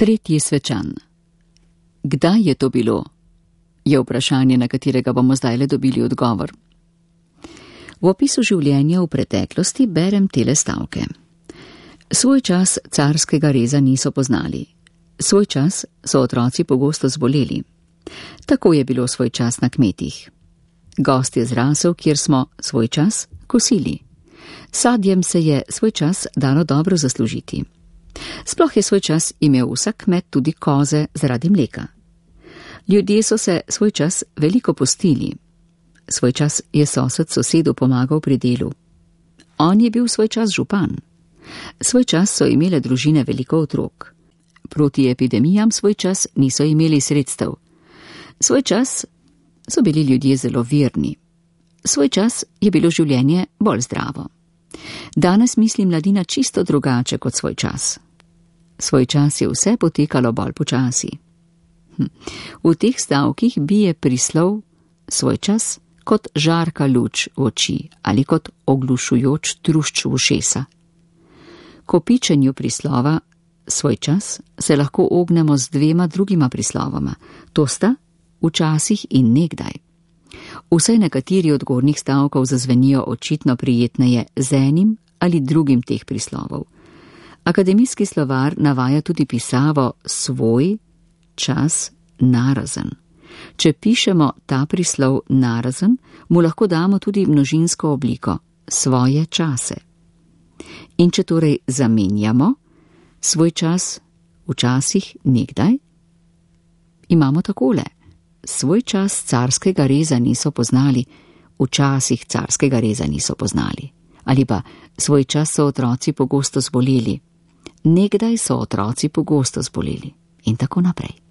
Tretji svečan. Kdaj je to bilo? Je vprašanje, na katerega bomo zdajle dobili odgovor. V opisu življenja v preteklosti berem tele stavke. Svoj čas carskega reza niso poznali. Svoj čas so otroci pogosto zboleli. Tako je bilo svoj čas na kmetih. Gost je zrasel, kjer smo svoj čas kosili. Sadjem se je svoj čas dalo dobro zaslužiti. Sploh je svoj čas imel vsak kmet tudi koze zaradi mleka. Ljudje so se svoj čas veliko postili. Svoj čas je sosed sosedu pomagal pri delu. On je bil svoj čas župan. Svoj čas so imele družine veliko otrok. Proti epidemijam svoj čas niso imeli sredstev. Svoj čas so bili ljudje zelo verni. Svoj čas je bilo življenje bolj zdravo. Danes misli mladina čisto drugače kot svoj čas. Svoj čas je vse potekalo bolj počasi. V teh stavkih bije prislov svoj čas kot žarka luč v oči ali kot oglušujoč trušč v ušesa. Ko pičenju prislova svoj čas se lahko ognemo z dvema drugima prislovoma. To sta včasih in nekdaj. Vsaj nekateri od gornjih stavkov zazvenijo očitno prijetneje z enim ali drugim teh prislovov. Akademijski slovar navaja tudi pisavo svoj čas narazen. Če pišemo ta prislov narazen, mu lahko damo tudi množinsko obliko svoje čase. In če torej zamenjamo svoj čas včasih nekdaj, imamo takole. Svoj čas carskega reza niso poznali, včasih carskega reza niso poznali. Ali pa svoj čas so otroci pogosto zboleli, nekdaj so otroci pogosto zboleli in tako naprej.